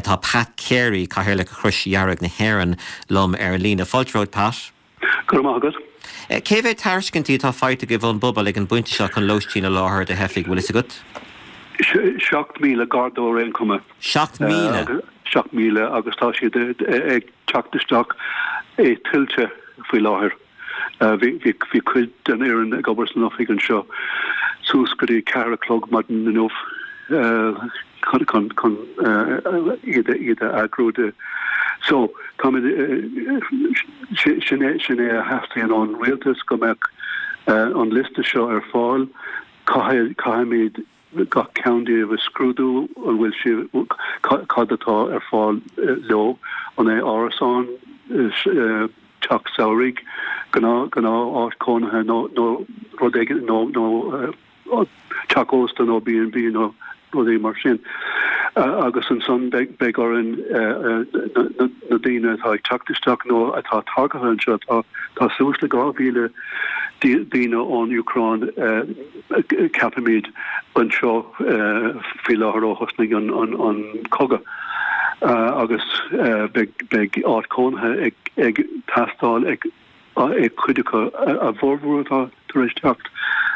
Tá Pat Carey, Cathaoirleach Chrois Dhearg na hÉireann, liom ar an líne. Fáilte romhat, Pat. Go raibh maith agat. Cé mhéad tairiscintí atá faighte agaibh ón bpobal ag an bpointe seo chun lóistín a sholáthar do theifigh, bhfuil fhios agat? 7,000, gar dó ar aon chuma. 7,000? 7,000 agus tá siad ag teacht isteach i tuilte faoi láthair. Bhí cuid den fhoireann ag obair san oifig anseo suas go dtí ceathair a chlog maidin inniu chun chun iad iad a eagrú de. So táimid sin é sin é a theastaíonn ón rialtas go mbeadh an liosta seo ar fáil. Caithfidh caithfimid gach ceann díobh a scrúdú, an bhfuil siad, cad atá ar fáil leo, an é árasán, teach samhraidh, gnáth áit chónaithe nó rud éigin, nó teach ósta nó B&B nó rudaí mar sin. Agus ansan beidh orainn na daoine atá ag teacht isteach nó atá tagtha anseo, tá suas le 2,000 daoine ón Úcráin, ceapaimid, anseo faoi láthair ó thosnaigh an cogadh agus beidh áit chónaithe ag teastáil ag cuid acu, a bhformhór atá tar éis teacht,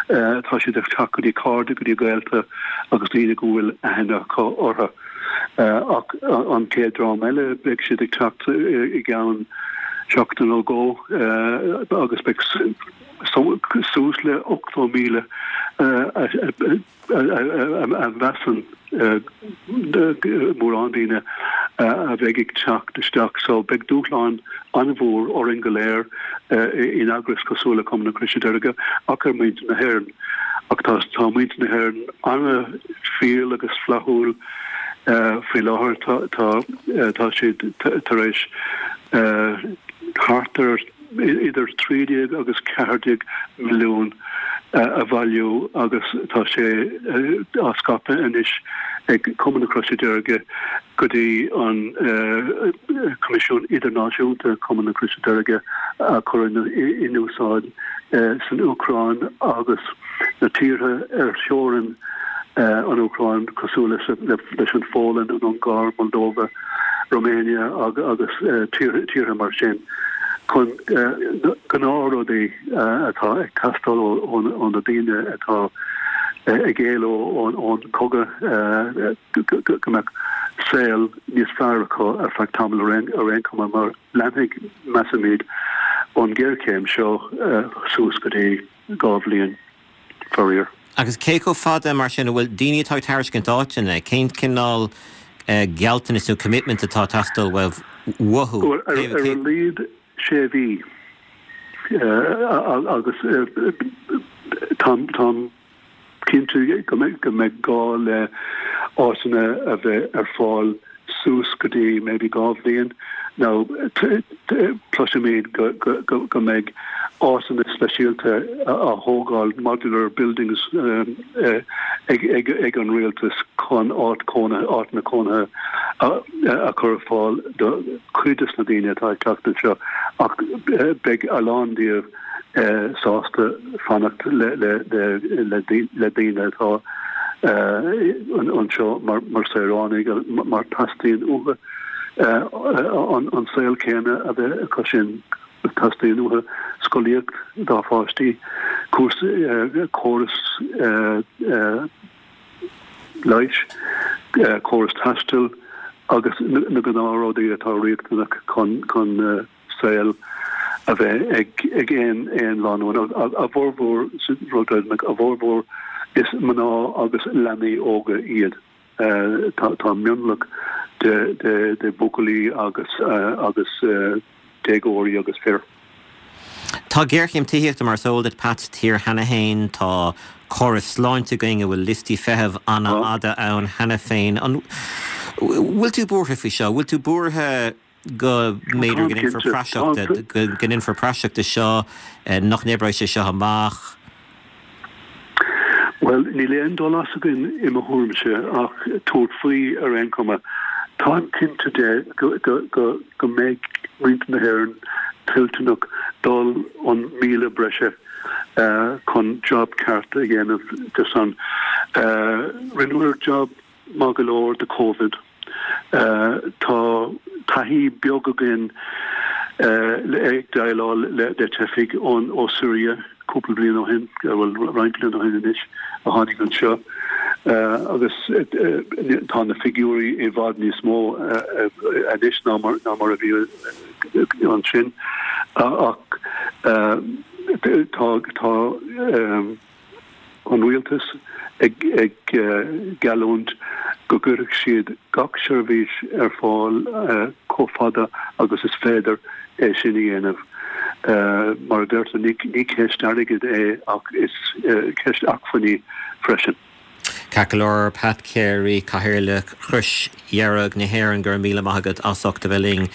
tá siad ag teacht go dtí cairde, go dtí gaolta agus daoine go bhfuil aithne acu orthu. Ach an chéad dream eile, beidh siad ag teacht i gceann seachtain nó dhó agus beidh suas le 80,000 a mheasann mórán daoine a bheidh ag teacht isteach. So beidh dúshlán an-mhór orainn go léir in eagrais cosúil le Cumann na Croise Deirge ach ar muintir na hÉireann. Ach tá tá muintir na hÉireann an-fhial agus flaithiúil faoi láthair. Tá tá siad tar éis thart ar idir 13 agus 14 milliún a bhailiú agus tá sé á scaipeadh anois ag Cumann na Croise Deirge go dtí an Coimisiún Idirnáisiúnta Cumann na Croise Deirge a chur in úsáid san Úcráin agus na tíortha ar theorainn an Úcráin cosúil leis an Pholainn, an Ungáir, Moldova, Romania agus tíortha mar sin chun gnáthrudaí atá ag teastáil ó na daoine atá ag éaló ón chogadh go mbeadh saol níos fearr acu ar feadh tamaill ar aon chuma mar leanfaidh, measaimid, an ghéarchéim seo suas go dtí 2 bhliain, faraor. Agus cé chomh fada, mar sin, a bhfuil daoine atá ag tairiscint áiteanna, cén cineál gealltanas nó commitment atá ag teastáil uathu? Bhuel, ar a laghad sé mhí agus táim cinnte go mbeidh gá le áiteanna a bheith ar fáil suas go dtí maybe 2 bhliain. Now cloisimid go mbeidh áiteanna speisialta á thógáil, modular buildings, ag an rialtas chun áit chónaithe, áiteanna cónaithe a chur ar fáil do chuid des na daoine atá ag teacht anseo ach beidh a lán díobh sásta fanacht le daoine atá anseo mar saoránaigh mar teastaíonn uathu an saol céanna a bheith acu sin. Teastaíonn uathu scolaíocht dá pháistí, córas leighis, córas taistil agus na gnáthrudaí atá riachtanach chun saol a bheith ag aon aon lánúin. A bhformhór, a bhformhór is mná agus leanaí óga iad. Tá mionlach de de buachaillí agus agus déagóirí agus fir. Tá géarchéim tithíochta, mar is eol duit, Pat, sa tír cheana féin. Tá córas sláinte againn a bhfuil liostaí feithimh an-fhada ann cheana féin. An bhfuil tú buartha faoi seo? Bhfuil tú buartha go mb'fhéidir go ndéanfar praiseach de, go ndéanfar praiseach de seo, nach n-oibreoidh sé seo amach? Bhuel, níl aon dul as againn i mo thuairimse ach tabhairt faoi ar aon chuma. Táim cinnte de go mbeidh muintir na hÉireann toilteanach dul an míle breise chun job ceart a dhéanamh de san. Rinneamar job maith go leor de Covid. Tá taithí beag againn ag déileáil le teifigh ó Siria cúpla bliain ó shin, bhuel roinnt bliain ó shin anois, a tháinig anseo agus tá na figiúirí i bhfad níos mó anois ná mar a bhí ansin ach tá tá an rialtas ag geallúint go gcuirfidh siad gach seirbhís ar fáil chomh fada agus is féidir é sin a dhéanamh. Mar a deirtear, ní ceist airgid é ach is ceist acmhainní freisin. Ceart go leor, Pat Carey, Cathaoirleach Chrois Dhearg na hÉireann, go raibh míle maith agat as ucht a bheith linn.